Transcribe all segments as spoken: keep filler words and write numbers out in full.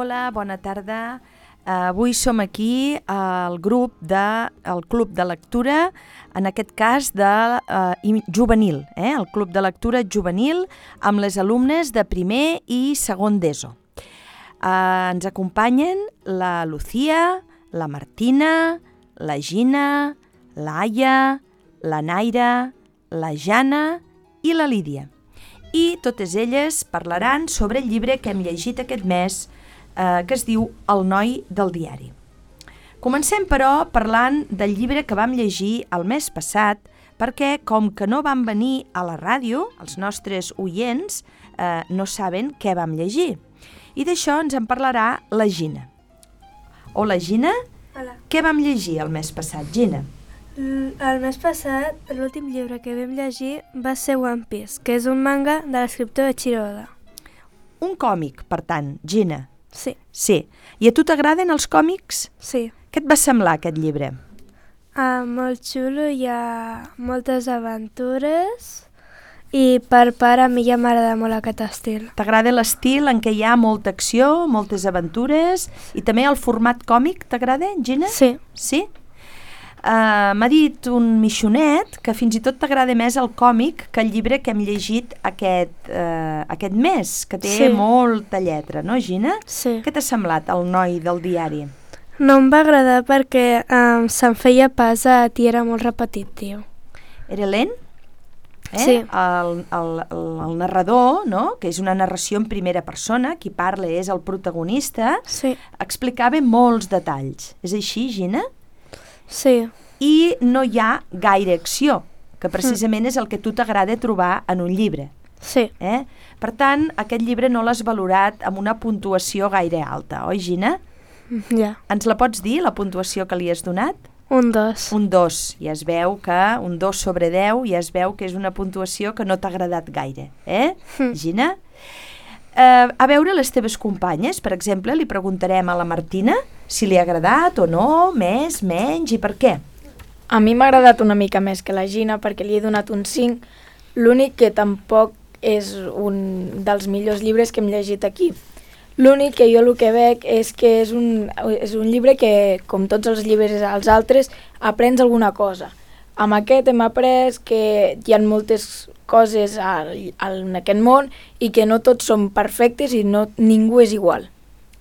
Hola, bona tarda. Uh, avui som aquí al grup de, el Club de Lectura, en aquest cas de uh, juvenil, eh? el Club de Lectura juvenil amb les alumnes de primer i segon d'ESO. Uh, ens acompanyen la Lucía, la Martina, la Gina, la Aya, la Naira, la Jana i la Lídia. I totes elles parlaran sobre el llibre que hem llegit aquest mes, eh, que es diu El noi del diari. Comencem, però, parlant del llibre que vam llegir el mes passat, perquè, com que no van venir a la ràdio, els nostres oients eh, no saben què vam llegir. I d'això ens en parlarà la Gina. Hola, Gina. Hola. Què vam llegir el mes passat, Gina? El mes passat, l'últim llibre que vam llegir va ser One Piece, que és un manga de l'escriptor Eiichiro Oda. Un còmic, per tant, Gina. Sí. Sí. I a tu t'agraden els còmics? Sí. Què et va semblar aquest llibre? Ah, molt xulo, hi ha moltes aventures i per part a mi ja m'agrada molt aquest estil. T'agrada l'estil en què hi ha molta acció, moltes aventures i també el format còmic, t'agrada, Gina? Sí. Sí? Uh, m'ha dit un Mixonet que fins i tot t'agrada més el còmic que el llibre que hem llegit aquest, uh, aquest mes, que té sí. molta lletra, no, Gina? Sí. Què t'ha semblat, el noi del diari? No em va agradar perquè um, se'n feia pesat i era molt repetitiu. Era lent? Eh? Sí. El, el, el, el narrador, no? Que és una narració en primera persona, qui parla és el protagonista, sí. explicava molts detalls. És així, Gina? Sí. I no hi ha gaire acció, que precisament mm. és el que tu t'agrada trobar en un llibre. Sí. Eh? Per tant, aquest llibre no l'has valorat amb una puntuació gaire alta, oi, Gina? Ja. Ens la pots dir, la puntuació que li has donat? Un dos. Un dos. Ja es veu que un dos sobre deu, ja es veu que és una puntuació que no t'ha agradat gaire. Eh, mm. Gina? Uh, a veure les teves companyes, per exemple, li preguntarem a la Martina si li ha agradat o no, més, menys i per què. A mi m'ha agradat una mica més que la Gina perquè li he donat un cinc, l'únic que tampoc és un dels millors llibres que hem llegit aquí. L'únic que jo el que veig és que és un, és un llibre que, com tots els llibres als altres, aprens alguna cosa. Amb aquest hem après que hi ha moltes coses al, al, en aquest món i que no tots són perfectes i no, ningú és igual.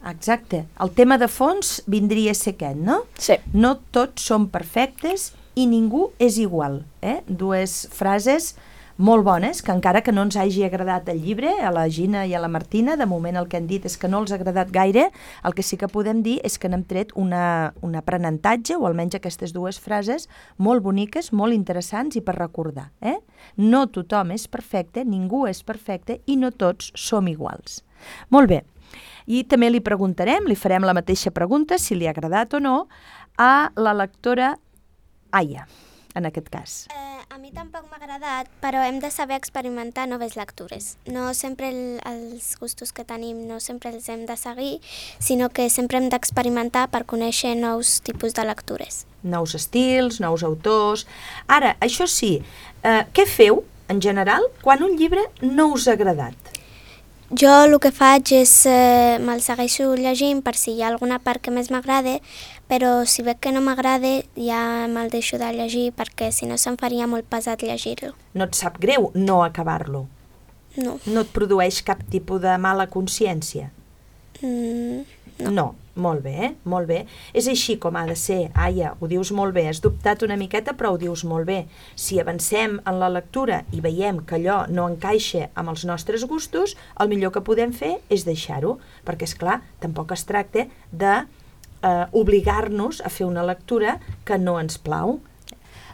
Exacte. El tema de fons vindria a ser aquest, no? Sí. No tots són perfectes i ningú és igual. Eh? Dues frases molt bones, que encara que no ens hagi agradat el llibre, a la Gina i a la Martina, de moment el que han dit és que no els ha agradat gaire, el que sí que podem dir és que n'hem tret una, un aprenentatge, o almenys aquestes dues frases, molt boniques, molt interessants i per recordar. Eh? No tothom és perfecte, ningú és perfecte i no tots som iguals. Molt bé. I també li preguntarem, li farem la mateixa pregunta, si li ha agradat o no, a la lectora Aya, en aquest cas. Eh, a mi tampoc m'ha agradat, però hem de saber experimentar noves lectures. No sempre el, els gustos que tenim no sempre els hem de seguir, sinó que sempre hem d'experimentar per conèixer nous tipus de lectures. Nous estils, nous autors... Ara, això sí, eh, què feu, en general, quan un llibre no us ha agradat? Jo el que faig és, eh, me'l segueixo llegint per si hi ha alguna part que més m'agrada, però si veig que no m'agrada ja me'l deixo de llegir perquè si no se'm faria molt pesat llegir-lo. No et sap greu no acabar-lo? No. No et produeix cap tipus de mala consciència? Mm, no. No, molt bé, eh? Molt bé. És així com ha de ser, Aya, ho dius molt bé, has dubtat una miqueta però ho dius molt bé. Si avancem en la lectura i veiem que allò no encaixa amb els nostres gustos, el millor que podem fer és deixar-ho, perquè és clar, tampoc es tracta de eh, obligar-nos a fer una lectura que no ens plau.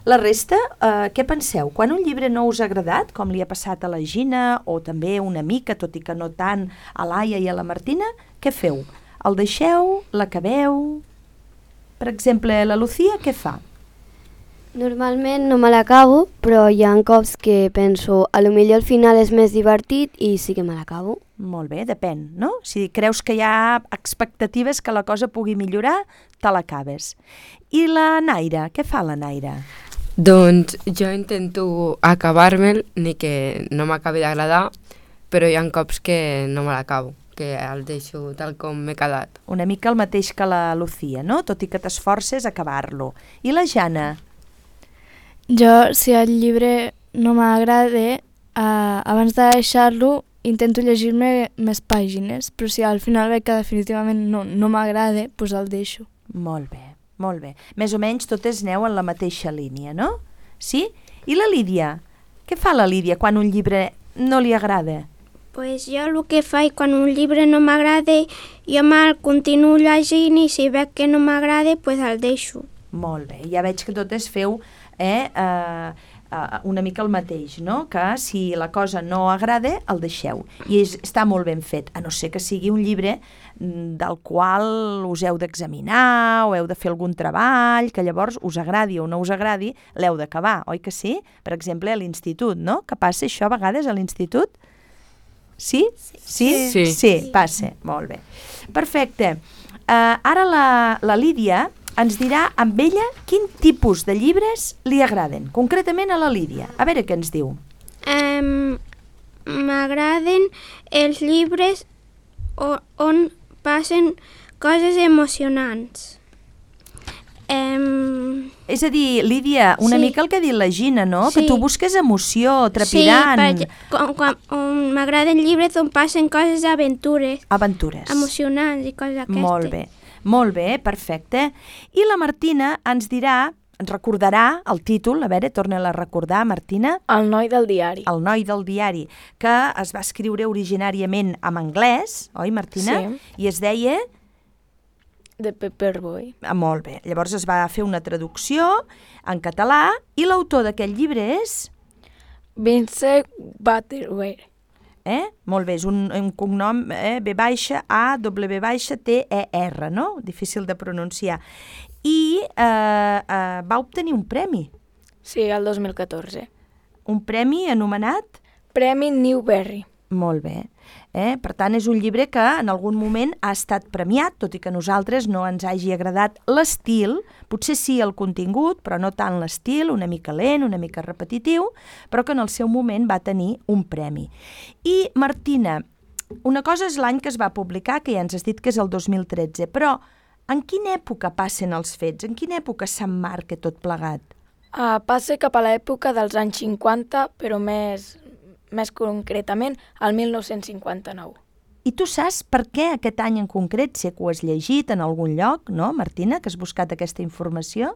La resta, eh, què penseu? Quan un llibre no us ha agradat, com li ha passat a la Gina o també una mica, tot i que no tant, a l'Aia i a la Martina, què feu? El deixeu? L'acabeu? Per exemple, la Lucía què fa? Normalment no me l'acabo, però hi ha cops que penso a lo millor el final és més divertit i sí que me l'acabo. Molt bé, depèn, no? Si creus que hi ha expectatives que la cosa pugui millorar, te l'acabes. I la Naira, què fa la Naira? Doncs jo intento acabar-me'l, ni que no m'acabi d'agradar, però hi ha cops que no me l'acabo, que que el deixo tal com m'he quedat. Una mica el mateix que la Lucía, no? Tot i que t'esforces a acabar-lo. I la Jana? Jo, si el llibre no m'agrada, eh, abans de deixar-lo intento llegir-me més pàgines, però si al final veig que definitivament no, no m'agrada, doncs el deixo. Molt bé, molt bé. Més o menys totes aneu en la mateixa línia, no? Sí? I la Lídia? Què fa la Lídia quan un llibre no li agrada? Pues jo el que faig quan un llibre no m'agrada, jo me'l continuo llegint i si veig que no m'agrada, pues el deixo. Molt bé, ja veig que totes feu eh, eh, eh, una mica el mateix, no? Que si la cosa no agrada, el deixeu. I és, està molt ben fet, a no ser que sigui un llibre del qual us heu d'examinar o heu de fer algun treball, que llavors us agradi o no us agradi, l'heu d'acabar, oi que sí? Per exemple, a l'institut, no? Que passa això a vegades a l'institut? Sí? Sí? Sí, sí. sí passa. Molt bé. Perfecte. Uh, ara la, la Lídia ens dirà amb ella quin tipus de llibres li agraden, concretament a la Lídia. A veure què ens diu. Um, M'agraden els llibres on, on passen coses emocionants. Um, És a dir, Lídia, una sí. mica el que ha dit la Gina, no? Sí. Que tu busques emoció, trepidant. Sí, perquè quan, quan, on m'agraden llibres on passen coses d'aventures. Aventures. Emocionants i coses d'aquestes. Molt bé, molt bé, perfecte. I la Martina ens dirà, ens recordarà el títol, a veure, torna-la a recordar, Martina. El noi del diari. El noi del diari, que es va escriure originàriament en anglès, oi, Martina? Sí. I es deia... De Paperboy. Ah, molt bé. Llavors es va fer una traducció en català i l'autor d'aquest llibre és... Vincent Butterworth. Eh? Molt bé, és un, un cognom eh? B baixa A W baixa T E R, no? Difícil de pronunciar. I eh, eh, va obtenir un premi. Sí, el dos mil catorze. Un premi anomenat? Premi Newbery. Molt bé. Eh? Per tant, és un llibre que en algun moment ha estat premiat, tot i que a nosaltres no ens hagi agradat l'estil, potser sí el contingut, però no tant l'estil, una mica lent, una mica repetitiu, però que en el seu moment va tenir un premi. I, Martina, una cosa és l'any que es va publicar, que ja ens has dit que és el dos mil tretze, però en quina època passen els fets? En quina època s'emmarca tot plegat? Uh, passa cap a l'època dels anys cinquanta, però més... més concretament, al mil nou-cents cinquanta-nou. I tu saps per què aquest any en concret, si que ho has llegit en algun lloc, no, Martina, que has buscat aquesta informació?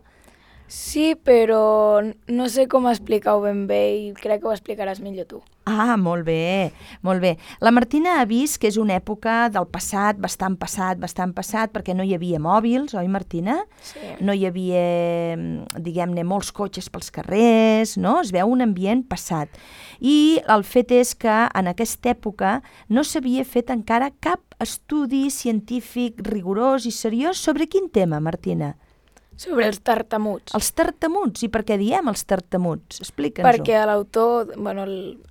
Sí, però no sé com explicar-ho ben bé i crec que ho explicaràs millor tu. Ah, molt bé, molt bé. La Martina ha vist que és una època del passat, bastant passat, bastant passat, perquè no hi havia mòbils, oi, Martina? Sí. No hi havia, diguem-ne, molts cotxes pels carrers, no? Es veu un ambient passat. I el fet és que en aquesta època no s'havia fet encara cap estudi científic rigorós i seriós sobre quin tema, Martina? Sobre els tartamuts. Els tartamuts. I per què diem els tartamuts? Explica'ns-ho. Perquè l'autor... Bueno,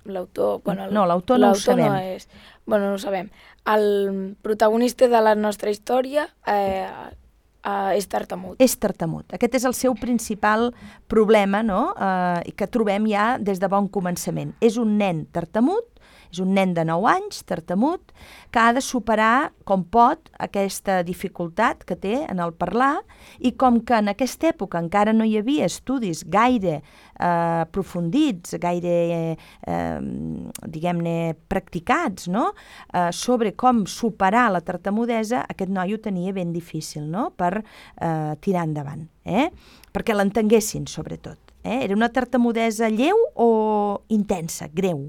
l'autor... Bueno, no, l'autor no ho sabem. No és, bueno, no ho sabem. El protagonista de la nostra història eh, eh, és tartamut. És tartamut. Aquest és el seu principal problema, no? Eh, que trobem ja des de bon començament. És un nen tartamut, és un nen de nou anys, tartamut, que ha de superar com pot aquesta dificultat que té en el parlar i com que en aquesta època encara no hi havia estudis gaire eh, aprofundits, gaire, eh, diguem-ne, practicats, no? eh, sobre com superar la tartamudesa, aquest noi ho tenia ben difícil, no? Per eh, tirar endavant, eh? Perquè l'entenguessin, sobretot. Eh? Era una tartamudesa lleu o intensa, greu?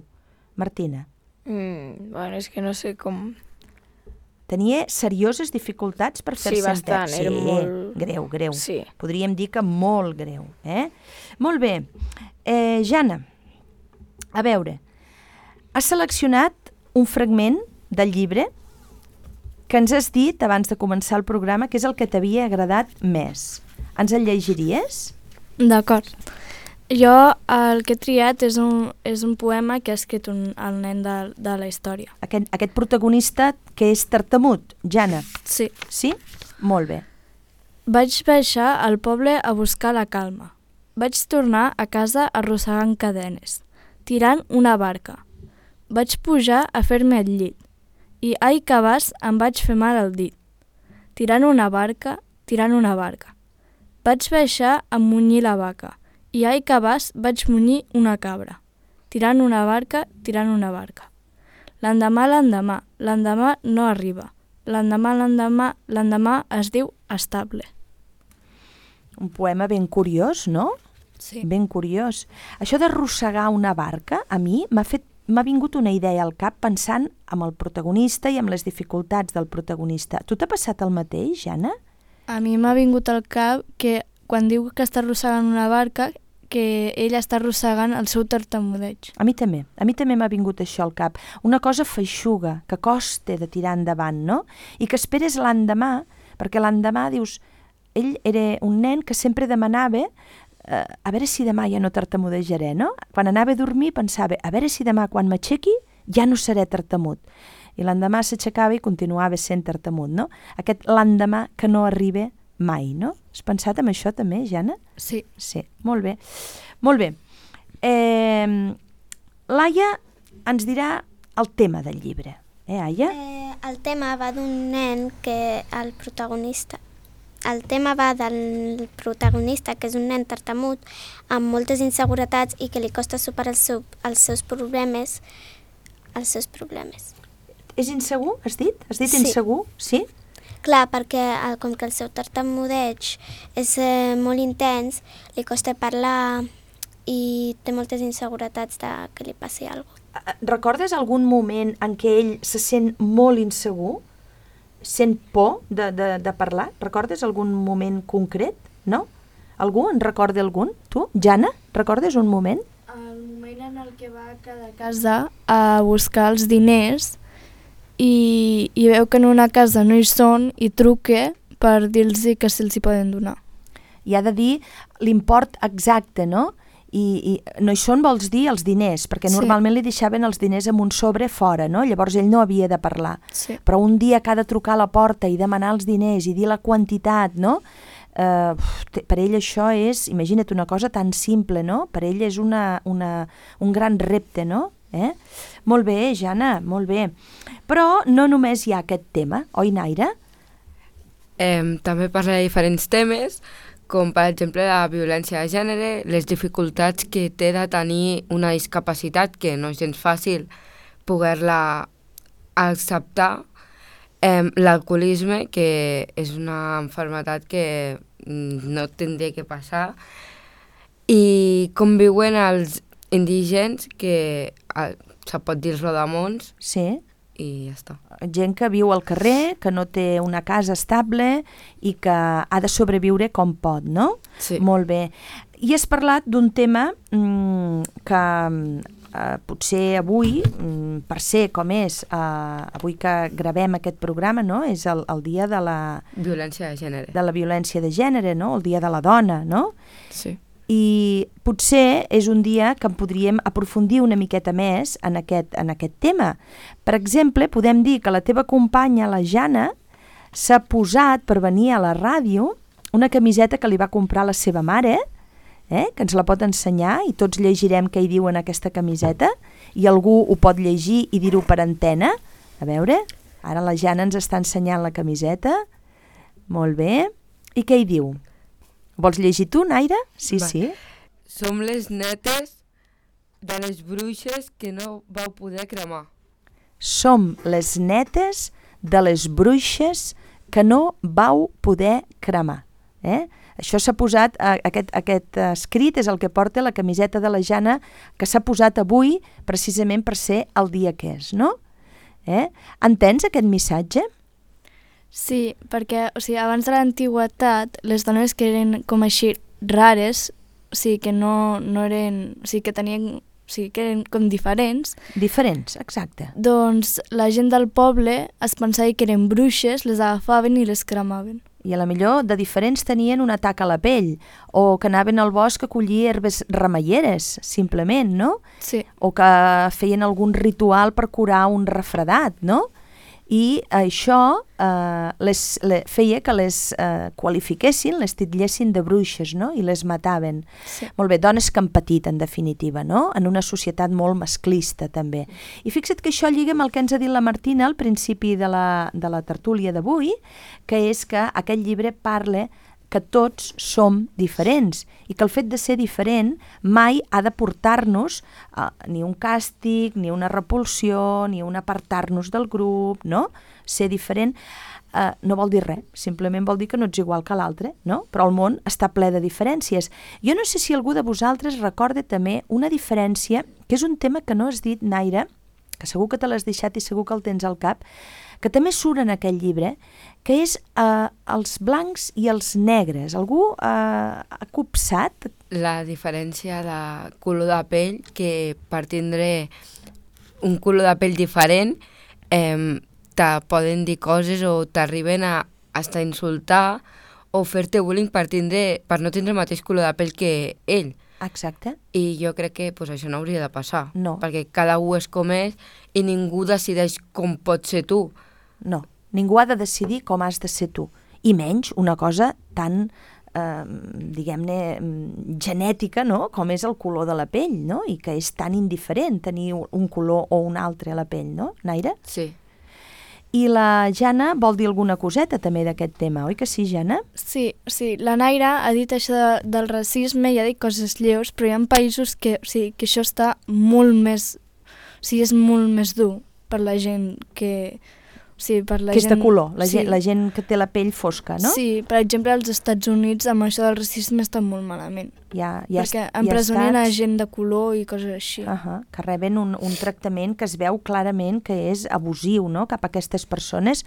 Martina. Mm, bueno, és que no sé com... Tenia serioses dificultats per fer-se sí, bastant, entès. Era sí, molt... greu, greu. Sí. Podríem dir que molt greu. Eh? Molt bé. Eh, Jana, a veure, has seleccionat un fragment del llibre que ens has dit abans de començar el programa que és el que t'havia agradat més. Ens el llegiries? D'acord. Jo el que he triat és un, és un poema que ha escrit un, el nen de, de la història. Aquest, aquest protagonista que és tartamut, Jana. Sí. Sí? Molt bé. Vaig baixar al poble a buscar la calma. Vaig tornar a casa arrossegant cadenes, tirant una barca. Vaig pujar a fer-me al llit. i ai que vas em vaig fer mal al dit. Tirant una barca, tirant una barca. Vaig baixar a munyir la vaca i ai que vas vaig munyir una cabra. Tirant una barca, tirant una barca. L'endemà, l'endemà, l'endemà no arriba. L'endemà, l'endemà, l'endemà es diu estable. Un poema ben curiós, no? Sí. Ben curiós. Això d'arrossegar una barca, a mi m'ha fet m'ha vingut una idea al cap pensant en el protagonista i en les dificultats del protagonista. Tu t'ha passat el mateix, Jana? A mi m'ha vingut al cap que quan diu que està arrossegant una barca, que ell està arrossegant el seu tartamudeig. A mi també. A mi també m'ha vingut això al cap. Una cosa feixuga, que costa de tirar endavant, no? I que esperes l'endemà, perquè l'endemà dius... Ell era un nen que sempre demanava eh, a veure si demà ja no tartamudejaré, no? Quan anava a dormir pensava, a veure si demà quan m'aixequi ja no seré tartamut. I l'endemà s'aixecava i continuava sent tartamut, no? Aquest l'endemà que no arriba mai, no? Has pensat en això també, Jana? Sí. Sí, molt bé. Molt bé. Eh, Laia ens dirà el tema del llibre. Eh, Aia? Eh, el tema va d'un nen que el protagonista... El tema va del protagonista, que és un nen tartamut, amb moltes inseguretats i que li costa superar el seu, els seus problemes. Els seus problemes. És insegur, has dit? Has dit Sí. insegur? Sí? Clar, perquè el, com que el seu tartamudeig és eh, molt intens, li costa parlar i té moltes inseguretats de que li passi alguna cosa. Recordes algun moment en què ell se sent molt insegur? Sent por de, de, de parlar? Recordes algun moment concret? No? Algú? En recorda algun? Tu? Jana? Recordes un moment? El moment en el que va a cada casa a buscar els diners i, i veu que en una casa no hi són i truca per dir-los que se'ls hi poden donar. I ha de dir l'import exacte, no? I, i no hi són vols dir els diners, perquè Sí. normalment li deixaven els diners amb un sobre fora, no? Llavors ell no havia de parlar. Sí. Però un dia que ha de trucar a la porta i demanar els diners i dir la quantitat, no? Uh, per ell això és, imagina't una cosa tan simple, no? Per ell és una, una, un gran repte, no? Eh? Molt bé, Jana, molt bé. Però no només hi ha aquest tema, oi, Naira? Eh, també parla de diferents temes, com per exemple la violència de gènere, les dificultats que té de tenir una discapacitat que no és gens fàcil poder-la acceptar, eh, l'alcoholisme, que és una malaltia que no tindria que passar, i com viuen els indígens, que eh, se pot dir els rodamons, Sí. i ja està. Gent que viu al carrer, que no té una casa estable i que ha de sobreviure com pot, no? Sí. Molt bé. I has parlat d'un tema mmm, que eh, potser avui, mm, per ser com és, eh, avui que gravem aquest programa, no? És el, el dia de la, Violència de gènere. de la violència de gènere, no? El dia de la dona, no? Sí. I potser és un dia que en podríem aprofundir una miqueta més en aquest, en aquest tema. Per exemple, podem dir que la teva companya, la Jana, s'ha posat per venir a la ràdio una camiseta que li va comprar la seva mare, eh, que ens la pot ensenyar i tots llegirem què hi diu en aquesta camiseta i algú ho pot llegir i dir-ho per antena. A veure, ara la Jana ens està ensenyant la camiseta. Molt bé. I què hi diu? Vols llegir tu, Naira? Sí, Va. sí. Som les netes de les bruixes que no vau poder cremar. Som les netes de les bruixes que no vau poder cremar. Eh? Això s'ha posat, eh, aquest, aquest escrit és el que porta la camiseta de la Jana que s'ha posat avui precisament per ser el dia que és, no? Eh? Entens aquest missatge? Sí, perquè o sigui, abans de l'antiguitat les dones que eren com així rares, o sigui, que no, no eren, o sigui, que tenien, o sigui, que eren com diferents, Diferents, exacte. doncs la gent del poble es pensava que eren bruixes, les agafaven i les cremaven. I a la millor de diferents tenien un atac a la pell, o que anaven al bosc a collir herbes remeieres, simplement, no? Sí. O que feien algun ritual per curar un refredat, no? i això eh, les, les, feia que les eh, qualifiquessin, les titllessin de bruixes, no? I les mataven. Sí. Molt bé, dones que han patit, en definitiva, no? En una societat molt masclista, també. I fixa't que això lliga amb el que ens ha dit la Martina al principi de la, de la tertúlia d'avui, que és que aquest llibre parla que tots som diferents i que el fet de ser diferent mai ha de portar-nos a ni un càstig, ni una repulsió, ni un apartar-nos del grup, no? Ser diferent eh, no vol dir res, simplement vol dir que no ets igual que l'altre, no? Però el món està ple de diferències. Jo no sé si algú de vosaltres recorda també una diferència, que és un tema que no has dit, Naira, que segur que te l'has deixat i segur que el tens al cap, que també surt en aquell llibre, que és eh, els blancs i els negres. Algú eh, ha copsat? La diferència de color de pell, que per tindre un color de pell diferent eh, te poden dir coses o t'arriben a hasta insultar o fer-te bullying per, tindre, per no tindre el mateix color de pell que ell. Exacte. I jo crec que pues, això no hauria de passar, no. Perquè cada un és com és i ningú decideix com pots ser tu. No, ningú ha de decidir com has de ser tu, i menys una cosa tan, eh, diguem-ne, genètica, no?, com és el color de la pell, no?, i que és tan indiferent tenir un color o un altre a la pell, no, Naira? Sí. I la Jana vol dir alguna coseta també d'aquest tema, oi que sí, Jana? Sí, sí, la Naira ha dit això de, del racisme i ha dit coses lleus, però hi ha països que, o sigui, que això està molt més, o sigui, és molt més dur per la gent que... Sí, per la que és gent... de color, la, sí. gent, la gent que té la pell fosca, no? Sí, per exemple, als Estats Units amb això del racisme està molt malament. Ja, ja perquè ja empresonen estats... a gent de color i coses així. Uh -huh, que reben un, un tractament que es veu clarament que és abusiu, no?, cap a aquestes persones.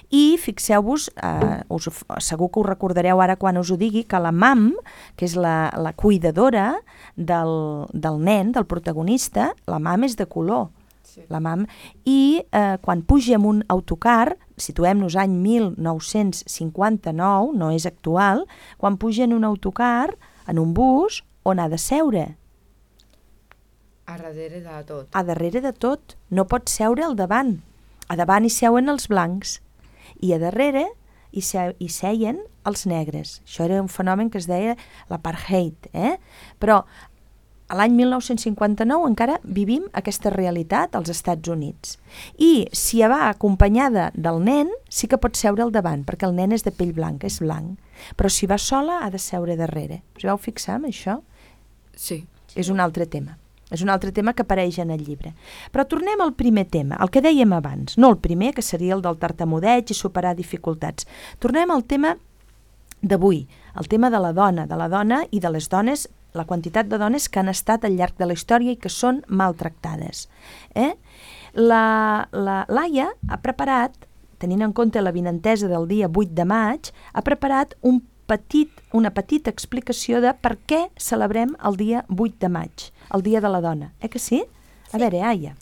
I fixeu-vos, eh, us, segur que us recordareu ara quan us ho digui, que la mam, que és la, la cuidadora del, del nen, del protagonista, la mam és de color. La mam, i eh, quan puja en un autocar, situem-nos any mil nou-cents cinquanta-nou, no és actual, quan puja en un autocar, en un bus, on ha de seure? A darrere de tot. A darrere de tot, no pot seure al davant. A davant hi seuen els blancs i a darrere hi, se hi seien els negres. Això era un fenomen que es deia l'apartheid, eh? Però a l'any mil nou-cents cinquanta-nou encara vivim aquesta realitat als Estats Units. I si va acompanyada del nen, sí que pot seure al davant, perquè el nen és de pell blanca, és blanc. Però si va sola, ha de seure darrere. Us vau fixar en això? Sí. És un altre tema. És un altre tema que apareix en el llibre. Però tornem al primer tema, el que dèiem abans. No el primer, que seria el del tartamudeig i superar dificultats. Tornem al tema d'avui, el tema de la dona, de la dona i de les dones, la quantitat de dones que han estat al llarg de la història i que són maltractades. Eh? La, la Laia ha preparat, tenint en compte la vinentesa del dia vuit de maig, ha preparat un petit, una petita explicació de per què celebrem el dia vuit de maig, el dia de la dona. Eh que sí? A Sí. veure, Aia.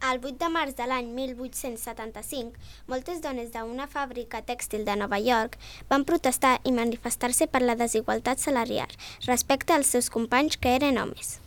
El vuit de març de l'any mil vuit-cents setanta-cinc, moltes dones d'una fàbrica tèxtil de Nova York van protestar i manifestar-se per la desigualtat salarial respecte als seus companys que eren homes.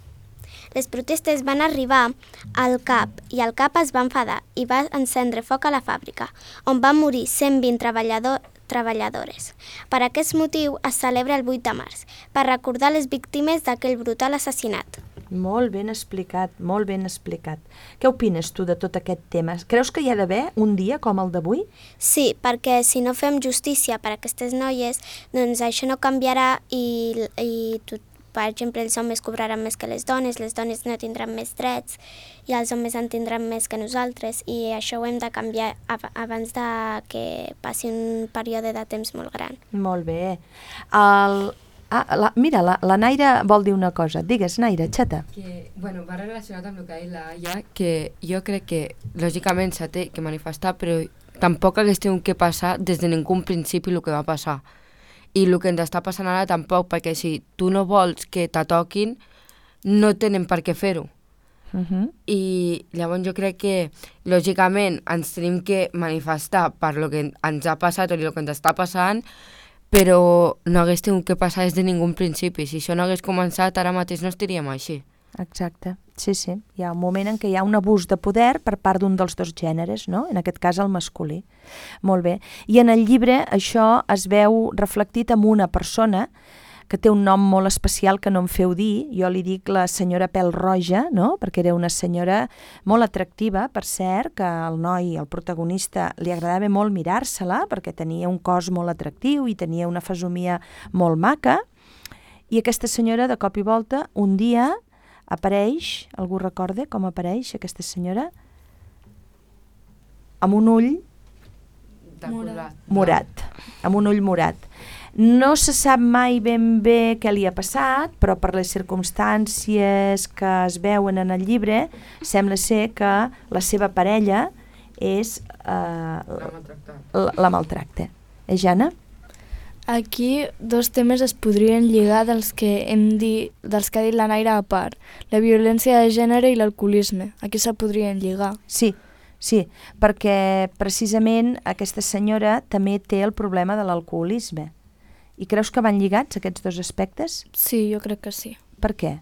Les protestes van arribar al cap i el cap es va enfadar i va encendre foc a la fàbrica, on van morir cent vint treballadors treballadores. Per aquest motiu es celebra el vuit de març, per recordar les víctimes d'aquell brutal assassinat. Molt ben explicat, molt ben explicat. Què opines tu de tot aquest tema? Creus que hi ha d'haver un dia com el d'avui? Sí, perquè si no fem justícia per a aquestes noies, doncs això no canviarà i, i tot, per exemple, els homes cobraran més que les dones, les dones no tindran més drets i els homes en tindran més que nosaltres, i això ho hem de canviar abans de que passi un període de temps molt gran. Molt bé. El... Ah, la, mira, la, la Naira vol dir una cosa. Digues, Naira, xata. Que, bueno, va relacionat amb el que ha dit la Aya, que jo crec que lògicament s'ha té que manifestar, però tampoc hagués tingut que passar des de ningú principi el que va passar. I el que ens està passant ara tampoc, perquè si tu no vols que t'atoquin, no tenen per què fer-ho. Uh -huh. I llavors jo crec que lògicament ens tenim que manifestar per lo que ens ha passat o el que ens està passant, però no hagués tingut que passar des de ningú principi. Si això no hagués començat, ara mateix no estaríem així. exacte. Sí, sí. Hi ha un moment en què hi ha un abús de poder per part d'un dels dos gèneres, no? En aquest cas el masculí. Molt bé. I en el llibre això es veu reflectit en una persona que té un nom molt especial que no em feu dir. Jo li dic la senyora Pèl-roja, no? Perquè era una senyora molt atractiva, per cert, que el noi, el protagonista, li agradava molt mirar-se-la perquè tenia un cos molt atractiu i tenia una fesomia molt maca. I aquesta senyora, de cop i volta, un dia apareix, algú recorda com apareix aquesta senyora? Amb un ull morat. morat, amb un ull morat. No se sap mai ben bé què li ha passat, però per les circumstàncies que es veuen en el llibre, sembla ser que la seva parella és eh, la, la maltracta. Eh, Jana? Aquí dos temes es podrien lligar dels que hem dit, dels que ha dit la Naira a part, la violència de gènere i l'alcoholisme. Aquí se podrien lligar. Sí, sí, perquè precisament aquesta senyora també té el problema de l'alcoholisme. I creus que van lligats aquests dos aspectes? Sí, jo crec que sí. Per què?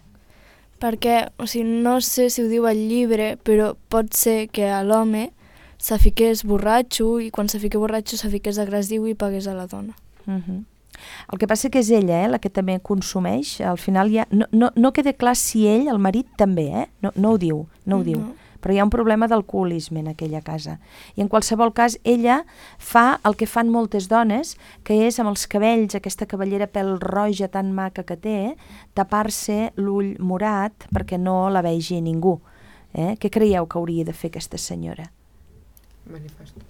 Perquè, o sigui, no sé si ho diu el llibre, però pot ser que a l'home se fiqués borratxo i quan se fiqués borratxo se fiqués agressiu i pagués a la dona. Uh-huh. El que passa que és ella, eh, la que també consumeix. Al final ja no, no, no queda clar si ell, el marit, també, eh? no, no ho diu, no ho No. diu. Però hi ha un problema d'alcoholisme en aquella casa. I en qualsevol cas, ella fa el que fan moltes dones, que és amb els cabells, aquesta cavallera pèl-roja tan maca que té, tapar-se l'ull morat perquè no la vegi ningú. Eh? Què creieu que hauria de fer aquesta senyora? Manifesta.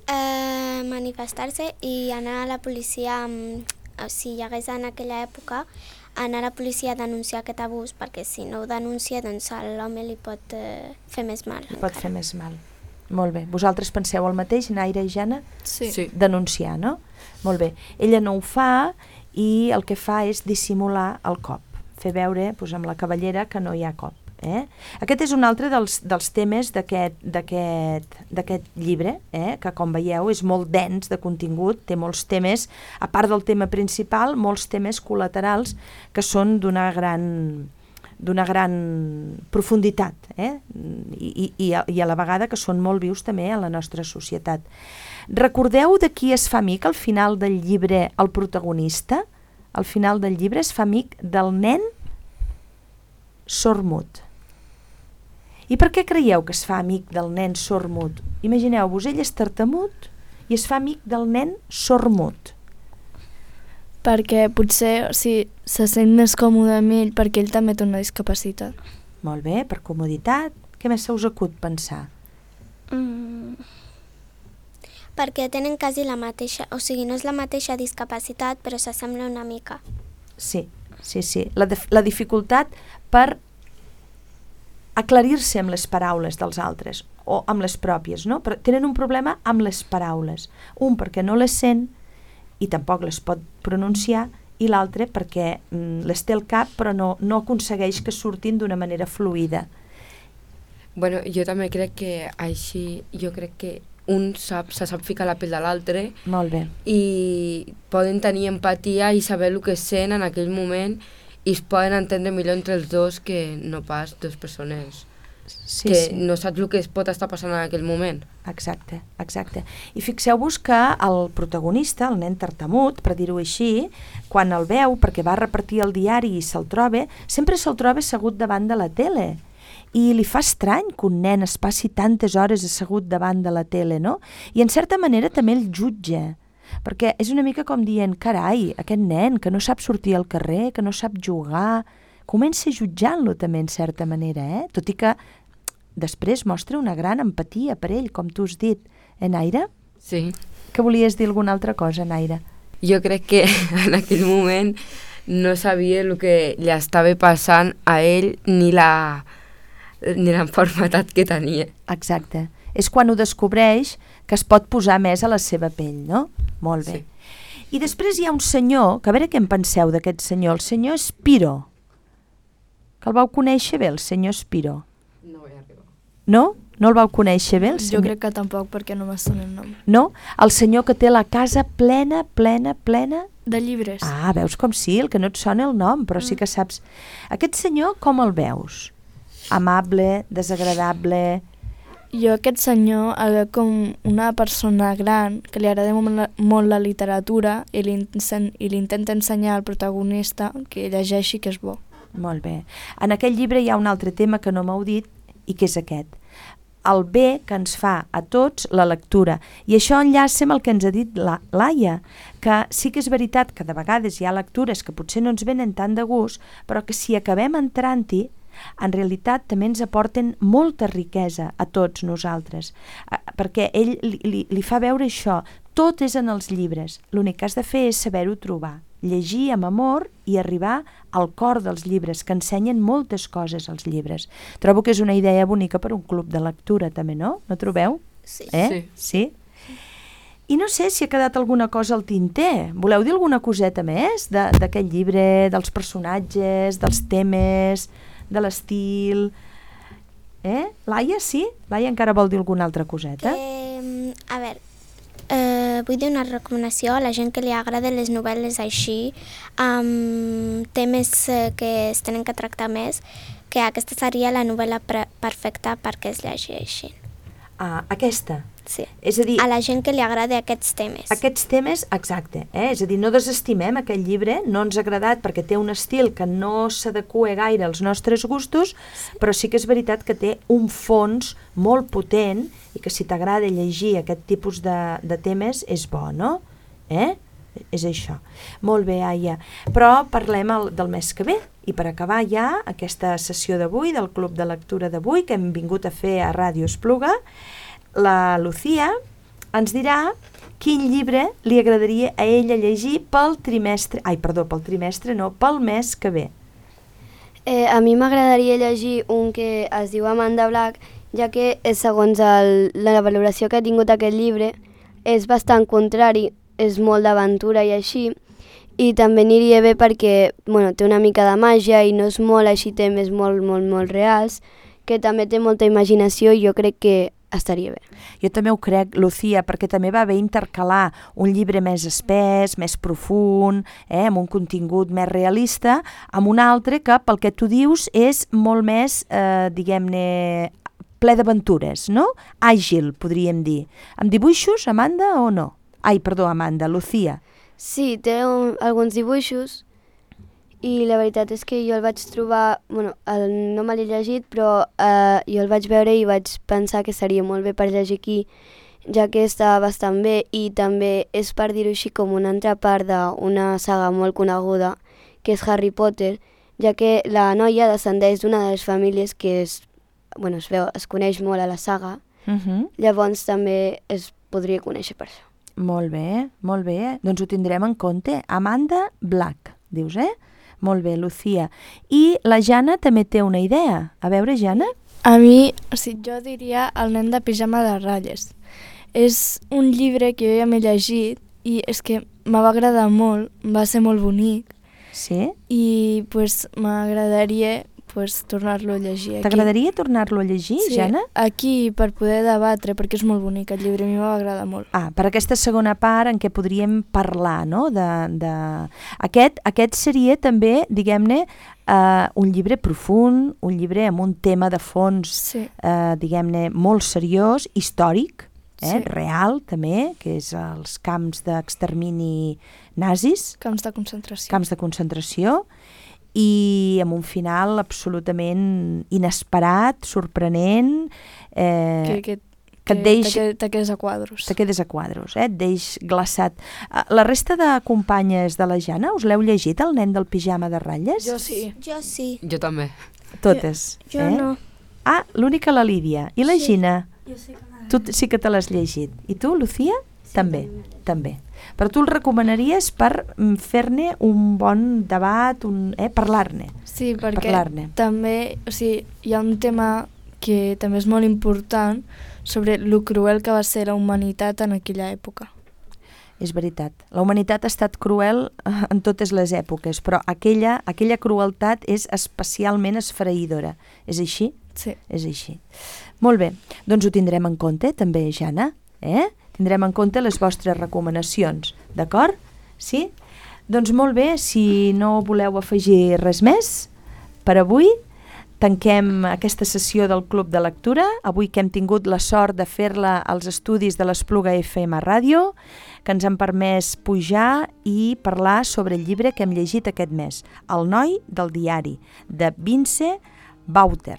Eh, manifestar-se i anar a la policia, mm, si hi hagués en aquella època, anar a la policia a denunciar aquest abús, perquè si no ho denuncia, doncs a l'home li pot eh, fer més mal. Li pot fer més mal. Molt bé. Vosaltres penseu el mateix, Naira i Jana? Sí. Sí. Denunciar, no? Molt bé. Ella no ho fa i el que fa és dissimular el cop, fer veure doncs, amb la cavallera que no hi ha cop. Eh? Aquest és un altre dels, dels temes d'aquest d'aquest llibre, eh? Que com veieu és molt dens de contingut, té molts temes, a part del tema principal, molts temes col·laterals que són d'una gran, d'una gran profunditat, eh? I, i, i a la vegada que són molt vius també a la nostra societat. Recordeu de qui es fa amic al final del llibre el protagonista? Al final del llibre es fa amic del nen sord-mut. I per què creieu que es fa amic del nen sord-mut? Imagineu-vos, ell és tartamut i es fa amic del nen sord-mut. Perquè potser o sigui, se sent més còmode amb ell perquè ell també té una discapacitat. Molt bé, per comoditat. Què més se us acut pensar? Mm. Perquè tenen quasi la mateixa, o sigui, no és la mateixa discapacitat, però s'assembla una mica. Sí, sí, sí. La, la dificultat per aclarir-se amb les paraules dels altres o amb les pròpies, no? Però tenen un problema amb les paraules. Un perquè no les sent i tampoc les pot pronunciar i l'altre perquè mm, les té al cap però no, no aconsegueix que surtin d'una manera fluida. Bueno, jo també crec que així, jo crec que un sap, se sap ficar la pell de l'altre Molt bé. i poden tenir empatia i saber el que sent en aquell moment i es poden entendre millor entre els dos que no pas dues persones Sí, que sí. no saps el que es pot estar passant en aquell moment. Exacte, exacte. I fixeu-vos que el protagonista, el nen tartamut, per dir-ho així, quan el veu, perquè va repartir el diari i se'l troba, sempre se'l troba assegut davant de la tele. I li fa estrany que un nen es passi tantes hores assegut davant de la tele, no? I en certa manera també el jutja, perquè és una mica com dient, carai, aquest nen que no sap sortir al carrer, que no sap jugar, comença jutjant-lo també en certa manera, eh? Tot i que després mostra una gran empatia per ell, com tu has dit. Eh, Naira? Sí. Que volies dir alguna altra cosa, Naira? Jo crec que en aquell moment no sabia el que li estava passant a ell ni la ni l'enfermetat que tenia. Exacte. És quan ho descobreix que es pot posar més a la seva pell, no? Molt bé. Sí. I després hi ha un senyor, que a veure què en penseu d'aquest senyor, el senyor Spiro. Que el vau conèixer bé, el senyor Spiro. No vaig arribar. No? No el vau conèixer bé, el Jo senyor? crec que tampoc perquè no me sona el nom. No? El senyor que té la casa plena, plena, plena De llibres. Ah, veus com sí, el que no et sona el nom, però sí que saps. Aquest senyor, com el veus? Amable, desagradable... Jo aquest senyor el veig com una persona gran que li agrada molt la, molt la literatura i li, i li intenta ensenyar al protagonista que llegeixi que és bo. Molt bé. En aquest llibre hi ha un altre tema que no m'heu dit i que és aquest. El bé que ens fa a tots la lectura. I això enllaça amb el que ens ha dit la Laia, que sí que és veritat que de vegades hi ha lectures que potser no ens venen tant de gust, però que si acabem entrant-hi, en realitat també ens aporten molta riquesa a tots nosaltres, perquè ell li, li, li fa veure això, tot és en els llibres, l'únic que has de fer és saber-ho trobar, llegir amb amor i arribar al cor dels llibres, que ensenyen moltes coses als llibres. Trobo que és una idea bonica per un club de lectura també, no? No trobeu? Sí. Eh? Sí. I no sé si ha quedat alguna cosa al tinter. Voleu dir alguna coseta més d'aquest llibre, dels personatges, dels temes, de l'estil? Eh? Laia, sí? Laia encara vol dir alguna altra coseta? Eh, a veure, eh, vull dir una recomanació a la gent que li agrada les novel·les així, amb temes eh, que es tenen que tractar més, que aquesta seria la novel·la perfecta perquè es llegeixin. Ah, aquesta? Sí, és a dir, a la gent que li agrada aquests temes. Aquests temes, exacte, eh? És a dir, no desestimem aquest llibre, no ens ha agradat perquè té un estil que no s'adequa gaire als nostres gustos, sí. Però sí que és veritat que té un fons molt potent i que si t'agrada llegir aquest tipus de, de temes és bo, no? Eh? És això. Molt bé, Aia. Però parlem el, del mes que ve. I per acabar ja aquesta sessió d'avui, del Club de Lectura d'avui, que hem vingut a fer a Ràdio Espluga, la Lucía ens dirà quin llibre li agradaria a ella llegir pel trimestre, ai, perdó, pel trimestre no, pel mes que ve. Eh, a mi m'agradaria llegir un que es diu Amanda Black, ja que segons el, la valoració que ha tingut aquest llibre és bastant contrari, és molt d'aventura i així, i també aniria bé perquè bueno, té una mica de màgia i no és molt així, temes molt, molt, molt reals, que també té molta imaginació i jo crec que estaria bé. Jo també ho crec, Lucía, perquè també va bé intercalar un llibre més espès, més profund, eh, amb un contingut més realista, amb un altre que, pel que tu dius, és molt més, eh, diguem-ne, ple d'aventures, no? Àgil, podríem dir. Amb dibuixos, Amanda, o no? Ai, perdó, Amanda, Lucía. Sí, té un, alguns dibuixos i la veritat és que jo el vaig trobar, bueno, el, no me l'he llegit, però eh, jo el vaig veure i vaig pensar que seria molt bé per llegir aquí, ja que està bastant bé i també és, per dir-ho així, com una altra part d'una saga molt coneguda, que és Harry Potter, ja que la noia descendeix d'una de les famílies que es, bueno, es, veu, es coneix molt a la saga, uh-huh. Llavors també es podria conèixer per això. Molt bé, molt bé, doncs ho tindrem en compte. Amanda Black, dius, eh? Molt bé, Lucía. I la Jana també té una idea. A veure, Jana? A mi, o sigui, jo diria El nen de pijama de ratlles. És un llibre que jo ja m'he llegit i és que me va agradar molt, va ser molt bonic. Sí? I pues, m'agradaria pues, tornar-lo a llegir aquí. T'agradaria tornar-lo a llegir, sí, Jana? Aquí, per poder debatre, perquè és molt bonic el llibre, a mi m'agrada molt. Ah, per aquesta segona part en què podríem parlar, no? De, de... Aquest, aquest seria també, diguem-ne, uh, un llibre profund, un llibre amb un tema de fons, sí. uh, diguem-ne, molt seriós, històric, eh? Sí. Real també, que és els camps d'extermini nazis. Camps de concentració. Camps de concentració. I amb un final absolutament inesperat, sorprenent, eh, que, que, que et deix... Te, te quedes a quadros. Te quedes a quadros, eh? Et deix glaçat. La resta de companyes de la Jana, us l'heu llegit, El nen del pijama de ratlles? Jo sí. Jo sí. Jo també. Totes, jo, eh? Jo no. Ah, l'única la Lídia. I la sí. Gina? Jo sí que l'he Tu sí que te l'has llegit. I tu, Lucía? Sí, també, també. Però tu el recomanaries per fer-ne un bon debat, un, eh, parlar-ne. Sí, perquè parlar-ne. també, o sigui, hi ha un tema que també és molt important sobre lo cruel que va ser la humanitat en aquella època. És veritat. La humanitat ha estat cruel en totes les èpoques, però aquella, aquella crueltat és especialment esfereïdora. És així? Sí. És així. Molt bé, doncs ho tindrem en compte també, Jana, eh? Tindrem en compte les vostres recomanacions, d'acord? Sí? Doncs molt bé, si no voleu afegir res més per avui, tanquem aquesta sessió del Club de Lectura, avui que hem tingut la sort de fer-la als estudis de l'Espluga F M Ràdio, que ens han permès pujar i parlar sobre el llibre que hem llegit aquest mes, El noi del diari, de Vince Bauter.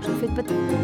Us he fet petit...